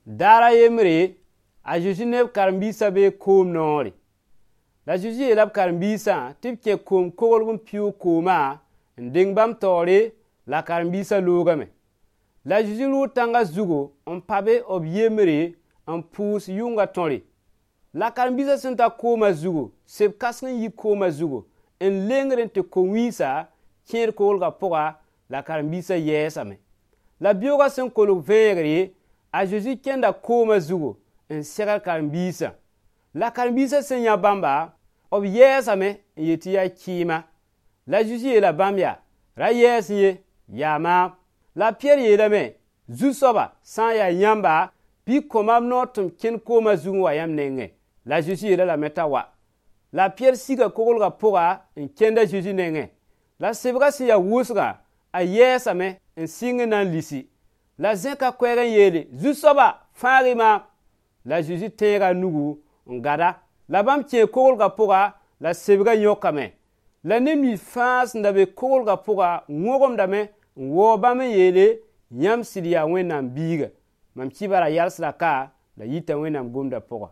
Daar a yembre, a Zeezi ne b karen-biisã bee koom noore. La a Zeezi yeela b karen-biisã tɩ b kẽ koom-koglg n pɩʋʋg koomã n deng bãmb taoore, la karen-biisã loogame. La a Zeezi rʋʋ tãngã zugu n pa be b yembre n pʋʋs yʋngã tõre. La karen-biisã sẽn ta koomã zugu, seb kãseng n yi koomã zugu n lengr n tɩ ko-wĩnsã kẽed koglgã pʋga, la karen-biisã yɛɛsame. La beoogã sẽn kolg vẽegre, a Zeezi kẽnda koomã zugu n segl karen-biisã. La karen-biisã sẽn yã bãmba, b yɛɛsame n yet tɩ yaa kɩɩma. La Zeezi yeela bãmb yaa: Ra yɛɛs ye, yaa maam. La a Pɩyɛɛr yeelame: Zu-soaba, sã n yaa yãmba, bɩ kõ maam noor tɩ m kẽnd koomã zug n wa yãmb nengẽ. La a Zeezi yeel-a lame t'a wa. La a Pɩyɛɛr siga koglgã pʋga n kẽnd a Zeezi nengẽ. La sebgã sẽn ya wʋsgã, a yɛɛsame n sɩng n na n lisi. La zẽka koɛɛg n yeele: Zu-soaba, fãag-y maam. La a Zeezi tẽega a nugu n gada. La bãmb kẽe koglgã pʋga, la sebgã yõkame. La neb nins fãa sẽn da be koglgã pʋga wõgemdame n waoog bãmb n yeele: Yãmb sɩd yaa Wẽnnaam biiga. Mam kibara yalsda ka, la yita Wẽnnaam gomdã pʋga.